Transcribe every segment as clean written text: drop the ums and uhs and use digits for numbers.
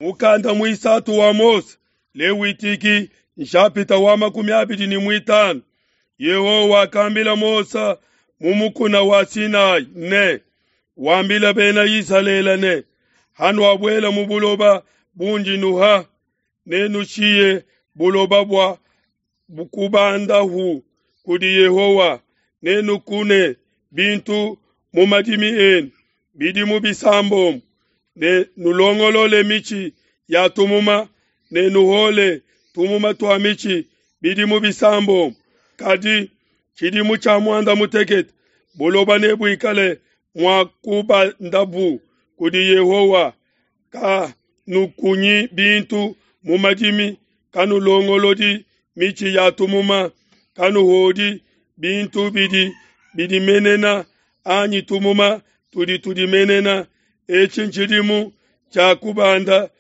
Mukanda muisatu wa Mose, Lewitiki, nshapita wa 25. Yehowa wakambila Mose mu mukuna wa Sinai ne, Wambila bena Isalele ne, Hanuabuela mu buloba bundi nuha, nenushiye buloba bua kubandahu kudi Yehowa, nenukune bintu mu madimi enu bidimu bisambombo, ne nulongolole mitshi ya tumuma, ne nuhole tumuma tua mitshi bidimu bisambombo. Kadi tshidimu tshia muanda mutekete buloba nebuikale mua kubandabu kudi Yehowa. Kanukunyi bintu mu madimi, kanulongolodi mitshi ya tumuma, kanuhodi bintu bidi bidimenena anyi tumuma tudi tudimenena. Etshi ntshidimu tshia kubanda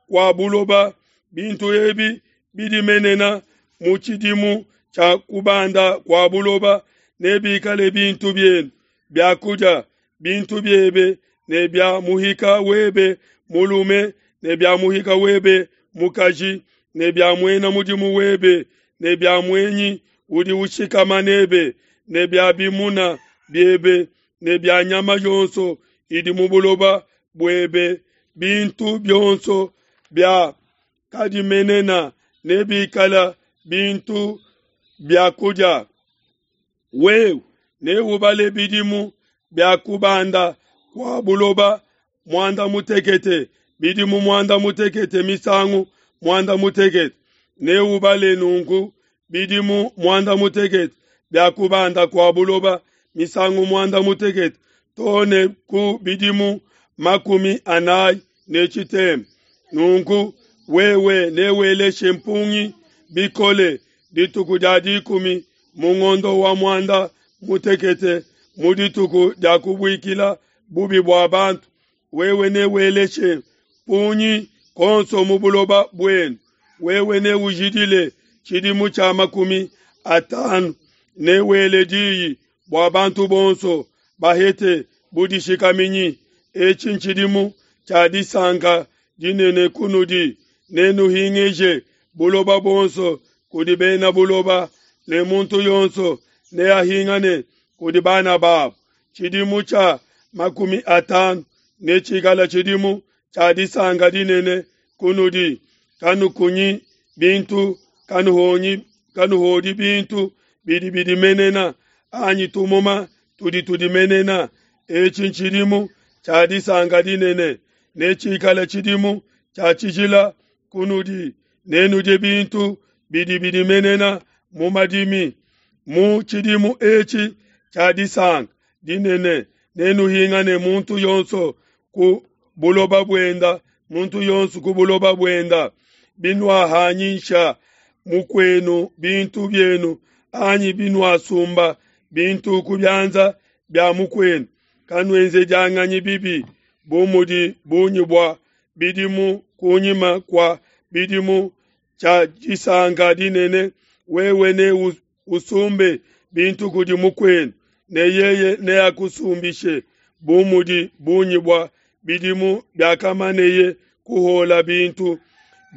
kua buloba, bintu ebi bidimenena mu tshidimu tshia kubanda kua buloba nebikale bintu bienu bia kudia, bintu biebe ne bia muhika webe mulume ne bia muhika webe mukaji ne bia muena mudimu webe ne bia muenyi udi ushikama nebe ne bia bimuna biebe ne bia nyama yonso idi mu buloba buebe. Bintu bionso bia kadimenena nebikale bintu bia kudia. Wewe neubale bidimu bia kubanda kua buloba muanda mutekete, bidimu muanda mutekete misangu muanda mutekete. Neubale nunku bidimu muanda mutekete bia kubanda kua buloba misangu muanda mutekete too ne ku bidimu 40. Nunku wewe neweleshe mpungi bikole dituku dia 10 mu ngondo wa muanda mutekete, mu dituku dia kubuikila bubi bua bantu. Wewe neweleshe mpungi konso mu buloba buenu. Wewe neujidile tshidimu tshia 50, newele diyi bua bantu bonso bahete budishikaminyi. Etshi ntshidimu tshia disanka dinene kunudi. Nenuhingeje buloba buonso kudi bena buloba, ne muntu yonso neahingane kudi bana babo. Tshidimu tshia 50 netshikale tshidimu tshia disanka dinene kunudi. Kanukunyi bintu, kanuhodi bintu bidi bidimenena anyi tumuma tudi tudimenena. Etshi ntshidimu tshia disanka dinene, netshikale tshidimu tshia tshijila kunudi. Nenudie bintu bidi bidimenena mu madimi. Mu tshidimu etshi tshia disanka dinene nenuhingane muntu yonso ku buloba buenda, muntu yonso ku buloba buenda. Binuahanyisha mukuenu bintu bienu anyi binuasumba bintu ku bianza bia mukuenu, kanuenzedianganyi bibi bu mudi bungi bua bidimu kunyima kua bidimu tshia disanka dinene. Wewe ne usumbe bintu kudi mukuenu, ne yeye neakusumbishe bu mudi bungi bua bidimu biakamaneye kuhola bintu.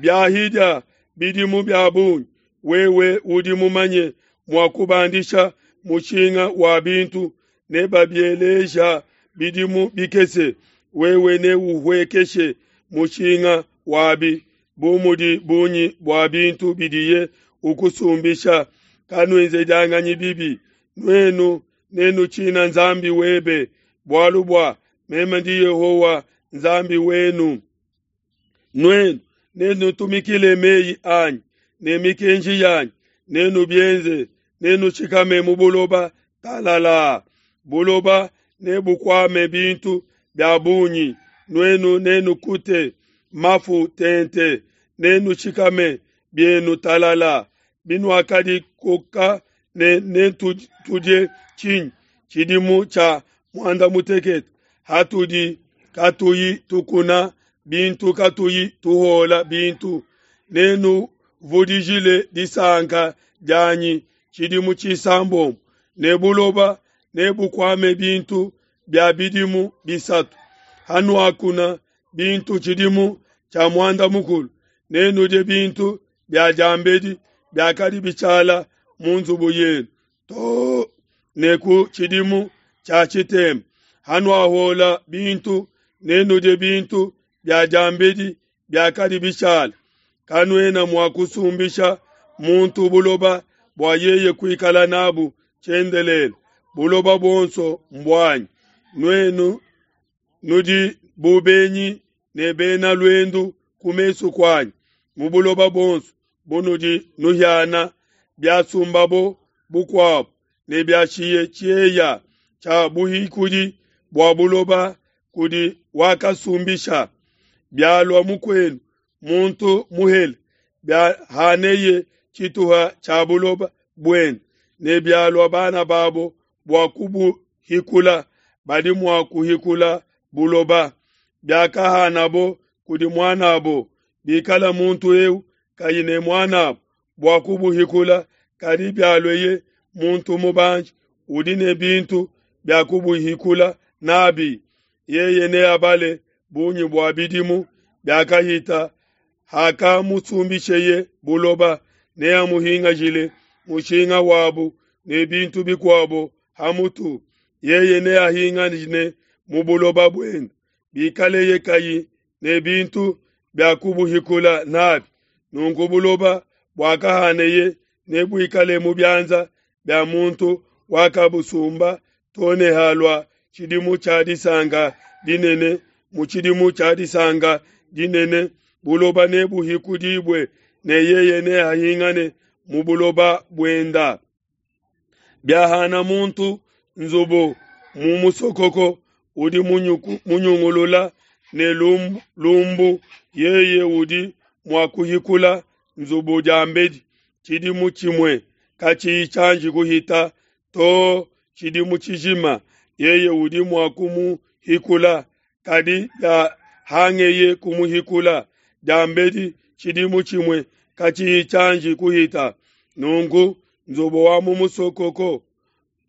Biahidia bidimu bia bungi, wewe udi mumanye mua kubandisha mushinga wa bintu, nebabieleja bidimu bikese, wewe neuhuekeshe mushinga wabi bu mudi bungi bua bintu bidiye ukusumbisha. Kanuenzedianganyi bibi, nuenu nenutshina Nzambi webe, bualu bua meme ndi Yehowa Nzambi wenu. Nuenu nenutumikile meyi anyi ne mikenji yanyi, nenubienze, nenushikame mu buloba talala. Buloba nebukuame bintu bia bungi, nuenu nenukute mafu tente, nenushikame bienu talala. Binuakadikoka ne netudie tshinyi tshidimu tshia muanda mutekete, hatudi katuyi tukuna bintu, katuyi tuhola bintu? Nenuvudijile disanka dianyi tshidimu tshisambombo, ne buloba nebukuame bintu bia bidimu bisatu. Hanuakuna bintu tshidimu. tshia muanda mukulu nenudie bintu bia diambedi biakadi bishala mu nzubu yenu too ne ku tshidimu tshia tshitema. Hanuahuola bintu, nenudie bintu bia diambedi biakadi bishala. Kanuena mua kusumbisha muntu buloba bua yeye kuikala nabu tshiendelele. Buloba buonso mbuanyi. Nuenu nudi bu benyi ne bena luendu ku mesu kuanyi mu buloba buonso bunudi nuhiana. Biasumbabo bukuabo ne biashiye tshieya tshia buhikudi bua buloba kudi wakasumbisha. Bialua mukuenu muntu muhele, biahaneye tshituha tshia buloba buende, ne bialua bana babo bua kubuhikula, badi mua kuhikula buloba. Biakahanabo kudi muan'abo, bikala muntu eu kayi ne muan'abo bua kubuhikula, kadi bialueye muntu mubanji udi ne bintu bia kubuhikula nabi, yeye neabale bungi bua bidimu biakahita hakamusumbisheye buloba, neamuhingajile mushinga wabu ne bintu bikuabo ha mutu. Yeye neahingane mu buloba buende, bikaleye kayi ne bintu bia kubuhikula nabi. Nunku buloba buakahaneye nebuikale mu bianza bia muntu wakabusumba too ne halua tshidimu tshia disanka dinene. Mu tshidimu tshia disanka dinene buloba nebuhikudibue, ne yeye neahingane mu buloba buenda. Biahana muntu nzubu mu musokoko udi munyungulula ne lumbu, yeye udi mua kuhikula nzubu diambedi tshidimu tshimue katshiyi tshianji kuhita too tshidimu tshijima, yeye udi mua kumuhikula. Kadi biahangeye kumuhikula diambedi tshidimu tshimue katshiyi tshianji kuhita, nunku nzubu wa mu musokoko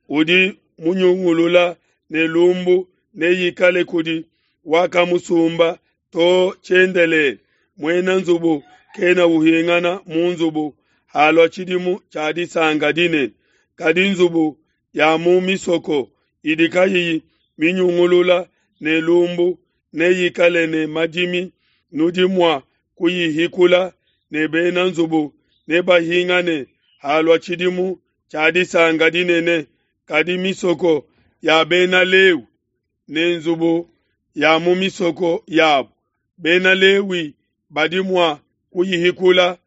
udi munyungulula ne lumbu neikale kudi wakamusumba too tshiendelele. Muena nzubu kena uhingana mu nzubu halua tshidimu tshia disanka dinene. Kadi nzubu ya mu misoko idi kayiyi minyungulula ne lumbu neyikale ne madimi, nudi mua kuyihikula, ne bena nzubu nebahingane halua tshidimu tshia disanka dinene. Kadi misoko ya Bena Lewi ne nzubu ya mu misoko yabo, Bena Lewi badi mua kuyihikula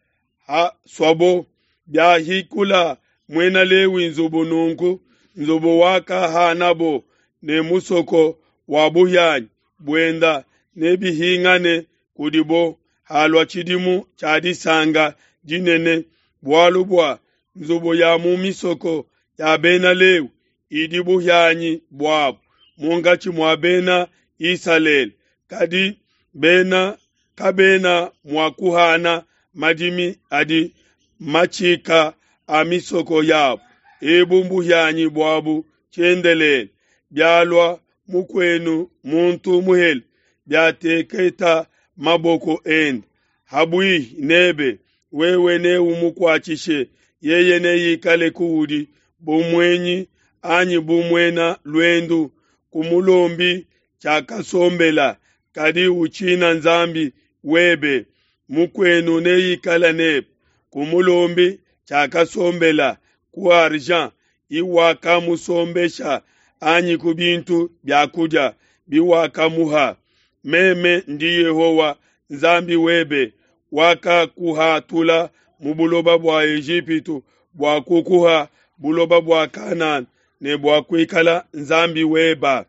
hasuabo. Biahikula muena Lewi nzubu, nunku nzubu wakahanabo ne musoko wa buhianyi buenda nebihingane kudibo halua tshidimu tshia disanka dinene, bualu bua nzubu ya mu misoko ya Bena Lewi idi buhianyi buabo munkatshi mua Bena Isalele. Kadi bena kabena mua kuhana madimi adi matshika a misoko yabo, ebu mbuhianyi buabu tshiendelele. Bialua mukuenu muntu muhele, biateketa maboko ende habuihi nebe, wewe neumukuatshishe, yeye neikale kuudi bu muenyi anyi bu muena luendu. Kumulombi tshiakasombela, kadi utshina Nzambi webe. Mukuenu neikale nebe, kumulombi tshiakasombela ku argent iwakamusombesha anyi ku bintu bia kudia biwakamuha. Meme ndi Yehowa Nzambi webe, wakakuhatula mu buloba bua Ejipitu bua kukuha buloba bua Kanana ne bua kuikala Nzambi weba.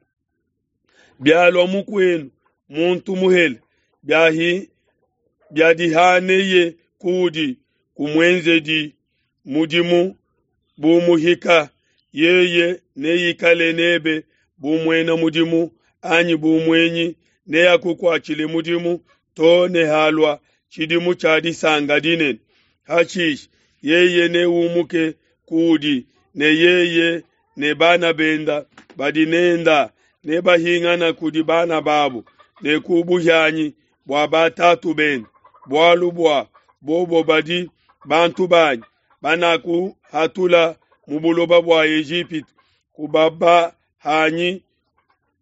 Bialua mukuenu muntu muhele, biadihaneye kuudi, kumuenzedi mudimu bu muhika, yeye neikale nebe bu muena mudimu anyi bu muenyi, neakukuatshile mudimu too ne halua tshidimu tshia disanka dinene. Hashishe yeye neumuke kuudi, ne yeye ne bana benda badi nenda nebahingana kudi bana babo ne ku buhianyi. bua batatu benu, bualu bua bobo badi bantu banyi banakuhatula mu buloba bua Ejipitu, kubabahanyi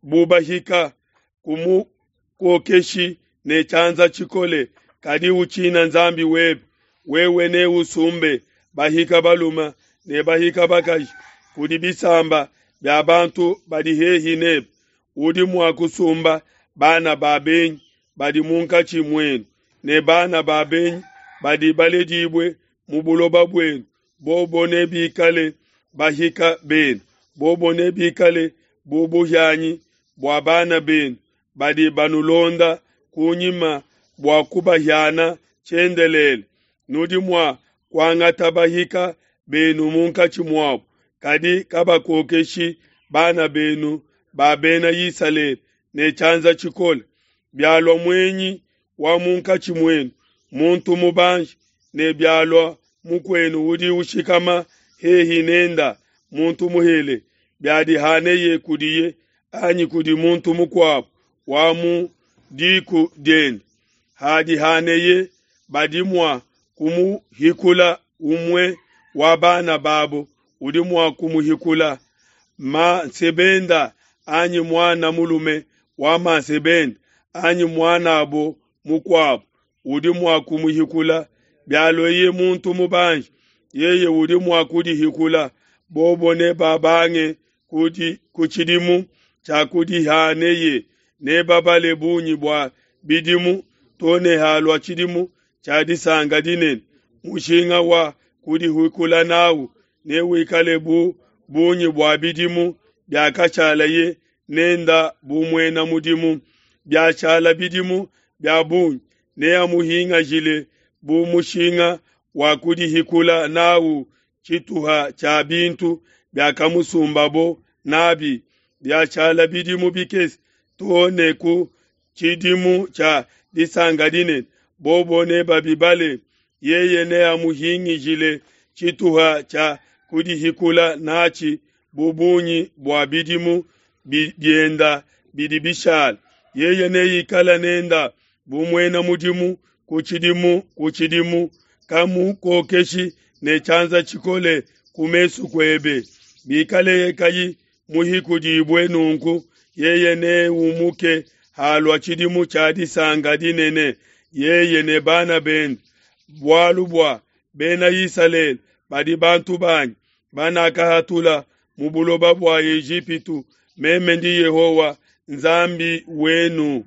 bu bahika, kumukokeshi ne tshianza tshikole, kadi utshina Nzambi webe. Wewe neusumbe bahika balume ne bahika bakaji kudi bisamba bia bantu badi hehi nebe. Udi mua kusumba bana ba benyi badi munkatshi muenu ne bana ba benyi badi baledibue mu buloba buenu, bobo nebikale bahika benu, bobo nebikale bu buhianyi bua bana benu badi banulonda kunyima bua kubahiana tshiendelele. Nudi mua kuangata bahika benu munkatshi muabo, kadi kabakokeshi bana benu ba Bena Isalele ne tshianza tshikole. Bialua muenyi wa munkatshi muenu, muntu mubanji, ne bialua mukuenu udi ushikama hehi nenda, muntu muhele, biadihaneye kudiye anyi kudi muntu mukuabo wa mu diku diende, hadihaneye badi mua kumuhikula umue wa bana babo udi mua kumuhikula mansebenda anyi muana mulume wa mansebenda anyi muan'abo mukuabo udi mua kumuhikula. Bialueye muntu mubanji, yeye udi mua kudihikula. Bobo nebabange ku tshidimu tshia kudihaneye, nebabale bungi bua bidimu to ne halua tshidimu tshia disanka dinene. Mushinga wa kudihikula n'au newikale bu bungi bua bidimu biakashalaye nenda bu muena mudimu. Biashala bidimu bia bungi, neamuhingajile bu mushinga wa kudihikula n'au tshituha tshia bintu biakamusumbabo n'abi. Biashala bidimu bikese to ne ku tshidimu tshia disanka dinene, bobo nebabibale, yeye neamuhingishile tshituha tshia kudihikula n'atshi bu bungi bua bidimu bienda bidi bishala. Yeye neikale nenda bu muena mudimu ku tshidimu ku tshidimu, kamukokeshi ne tshianza tshikole ku mesu kuebe. Bikaleye kayi muhikudibue nunku, yeye neumuke halua tshidimu tshia disanka dinene, yeye ne bana bende, bualu bua Bena Isalele badi bantu banyi banakahatula mu buloba bua Ejipitu. Meme ndi Yehowa Nzambi wenu.